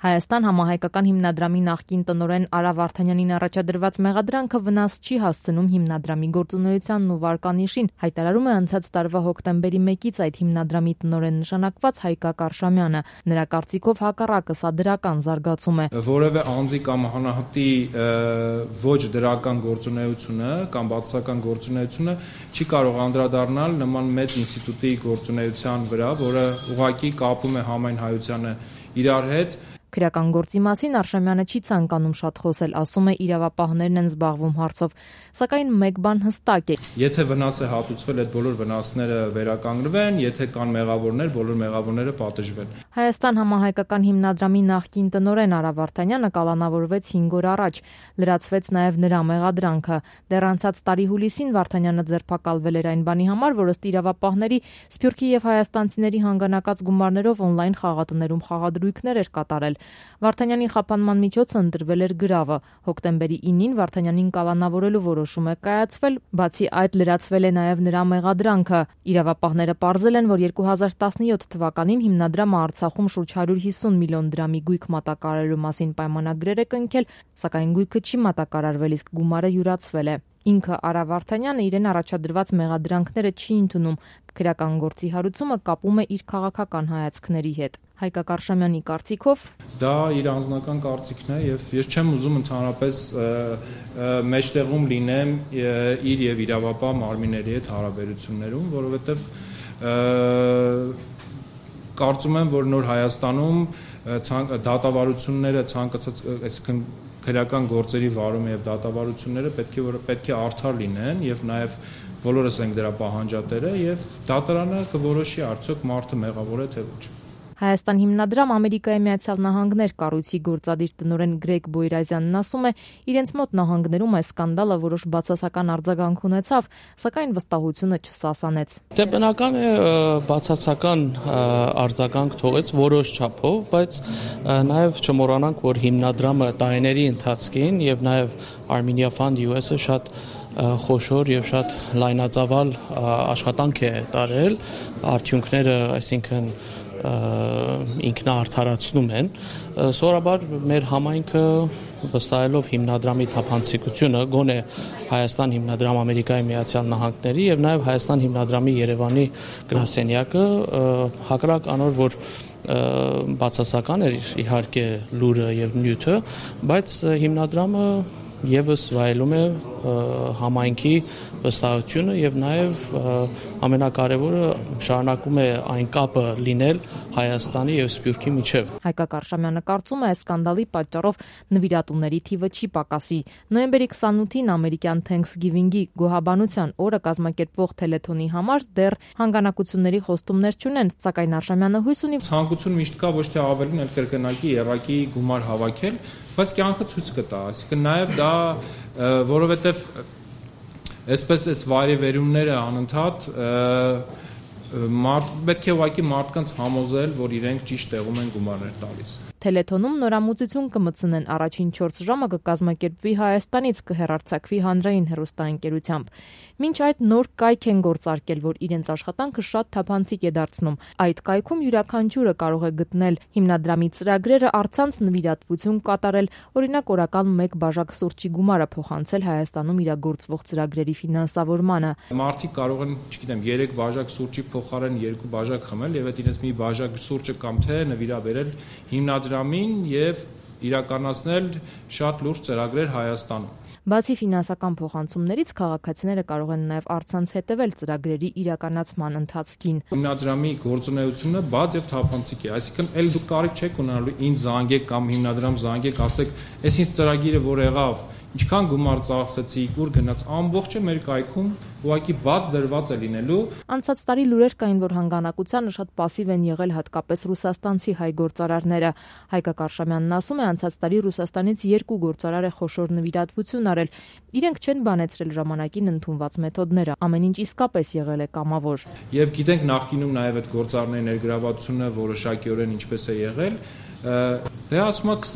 Հայաստան համահայկական հիմնադրամի նախկին տնօրեն Արա Վարդանյանին առաջադրված մեղադրանքը վնաս չի հասցնում հիմնադրամի գործունեությանն ու վարկանիշին, հայտարարում է անցած տարվա հոկտեմբերի 1-ից այդ հիմնադրամի տնօրեն նշանակված Հայկակ Արշամյանը։ Նրա կարծիքով հակառակը սա դրական զարգացում է։ Որևէ անձի կամ անհատի ոչ դրական գործունեությունը կամ բացասական գործունեությունը չի կարող անդրադառնալ նման մեծ ինստիտուտի գործունեության վրա, որը ուղղակի կապում է համայն հայությանը իրար հետ։ Քրեական գործի մասին Արշամյանը չի ցանկանում շատ խոսել, ասում է իրավապահներն են զբաղվում հարցով, սակայն մեկ բան հստակ է. Եթե վնաս է հատուցվել, այդ բոլոր վնասները վերականգնվեն, եթե կան մեղավորներ, բոլոր մեղավորները պատժվեն։ Հայաստան համահայկական հիմնադրամի նախկին տնօրեն Արա Վարդանյանը կալանավորվեց 5 օր առաջ, լրացվեց նաև նրա մեղադրանքը։ Դեռ անցած տարի հուլիսին Վարդանյանը ձերբակալվել էր այն բանի համար, որ ըստ իրավապահների Սփյուռքի եւ հայաստանցիների հանգանակած գումարներով օնլայն խաղատներում խաղադրույքներ էր կատարել։ Վարդանյանի խափանման միջոցը ընտրվել էր գրավը։ Հոկտեմբերի 9-ին Վարդանյանին կալանավորելու որոշում է կայացվել, բացի այդ լրացվել է նաև նրա մեղադրանքը։ Իրավապահները պարզել են, որ 2017 թվականին հիմնադրամը Արցախում շուրջ 150 միլիոն դրամի գույք մատակարարելու մասին պայմանագրեր է կնքել, սակայն գույքը չի մատակարարվել, իսկ գումարը յուրացվել է։ Ինքը Արա Վարդանյանը իրեն առաջադրված մեղադրանքները չի ընդունում, քրեական գործի հարուցումը կապում է իր քաղաքական հայացքների հետ։ Հայկակ Արշամյանի կարծիքով դա իր անձնական կարծիքն է եւ ես չեմ ուզում ընդհանրապես մեջտեղում լինեմ իր եւ իրավապահ մարմինների հետ հարաբերություններում, որովհետեւ կարծում եմ, որ նոր Հայաստանում դատավարությունները ցանկացած, այսինքն քրեական գործերի վարումը եւ դատավարությունները պետք է արդար լինեն եւ նաեւ բոլորս ենք դրա պահանջատերը եւ դատարանը կորոշի արդյոք մարդը մեղավոր է թե ոչ։ Հայաստան հիմնադրամ Ամերիկայի Միացյալ Նահանգներ կառույցի գործադիր տնօրեն Գրեգ Բոյրազյանն ասում է, իրենց մոտ նահանգներում այս սկանդալը որոշ բացասական արձագանք ունեցավ, սակայն վստահությունը չսասանեց։ Դե բնական է բացասական արձագանք թողեց որոշ չափով, բայց նաև չմոռանանք, որ հիմնադրամը տարիների ընթացքին եւ նաև Armenia Fund US-ը շատ խոշոր եւ շատ լայնածավալ աշխատանք է տարել, արդյունքները, այսինքն ինքնաարդարացնում են, սովորաբար մեր համայնքը վստահելով հիմնադրամի թափանցիկությունը, գոնե Հայաստան հիմնադրամ Ամերիկայի Միացյալ Նահանգների եւ նաեւ Հայաստան հիմնադրամի Երևանի գրասենյակը հակառակ անոր, որ բացասական էր իհարկե լուրը եւ նյութը, բայց հիմնադրամը եւս վայելում է համայնքի վստահությունը եւ նաեւ ամենակարևորը շարունակում է այն կապը լինել Հայաստանի եւ Սփյուռքի միջեւ։ Հայկակ Արշամյանը կարծում է, այս սկանդալի պատճառով նվիրատուների թիվը չի պակասի։ Նոյեմբերի 28-ին ամերիկյան Thanksgiving-ի գոհաբանության օրը կազմակերպվող թելեթոնի համար դեռ հանգանակությունների խոստումներ չունեն, սակայն Արշամյանը հույս ունի ցանկություն միշտ կա ոչ թե ավելին, այլ կրկնակի երակի գումար հավաքել, բայց կյանքը ցույց կտա, այսինքն նաև դա որովհետև այսպես այս վայրիվերումները անընդհատ պետք է ուղղակի մարդկանց համոզել, որ իրենք ճիշտ տեղում են գումարներ տալիս։ Թելեթոնում նորամուծություն կմտցնեն, առաջին 4 ժամը կկազմակերպվի Հայաստանից, կհեռարձակվի հանրային հեռուստաընկերությամբ։ Մինչ այդ նոր կայք են գործարկել, որ իրենց աշխատանքը շատ թափանցիկ է դարձնում։ Այդ կայքում յուրաքանչյուրը կարող է գտնել հիմնադրամի ծրագրերը, առցանց նվիրատվություն կատարել, օրինակ օրական 1 բաժակ սուրճի գումարը փոխանցել Հայաստանում իրագործվող ծրագրերի ֆինանսավորմանը։ Մարդիկ կարող են, չգիտեմ, 3 բաժակ սուրճի փոխարեն 2 բաժակ խմել եւ այդ իրենց մի բաժակ սուրճը կամ թե նվիրաբերել հիմնադրամին եւ իրականացնել շատ լուրջ ծրագրեր Հայաստանում։ Բացի ֆինանսական փոխանցումներից քաղաքացիները կարող են նաև առցանց հետևել ծրագրերի իրականացման ընթացքին։ Հիմնադրամի գործունեությունը բաց եւ թափանցիկ է, այսինքն ել դուք կարիք չեք ունենալու ինձ զանգեք կամ հիմնադրամ զանգեք, ասեք, «Էս ինձ ծրագիրը որ եղավ, ինչքան գումար ծախսեցիք, ուր գնաց», ամբողջը մեր կայքում ուղղակի բաց դրված է լինելու։ Անցած տարի լուրեր կային, որ հանգանակությանը շատ պասիվ են եղել հատկապես ռուսաստանցի հայ գործարարները։ Հայկակ Արշամյանն ասում է, անցած տարի Ռուսաստանից 2 գործարար է խոշոր նվիրատվություն արել։ Իրենք չեն բանեցրել ժամանակին ընդունված մեթոդները, ամեն ինչ իսկապես եղել է կամավոր։ Եվ գիտենք նախկինում նաև այդ գործարարների ներգրավվածությունը որոշակիորեն ինչպես է եղել։ Դե ասում եք,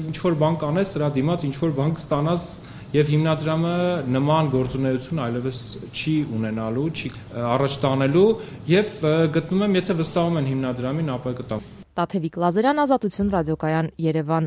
ինչ որ բան կանես, դրա դիմաց ինչ որ բան կստանաս եւ հիմնադրամը նման գործունեություն այլևս չի ունենալու, չի առաջ տանելու եւ գտնում եմ, եթե վստահում են հիմնադրամին, ապա կտա։ Տաթևիկ Լազարյան, Ազատություն ռադիոկայան, Երևան։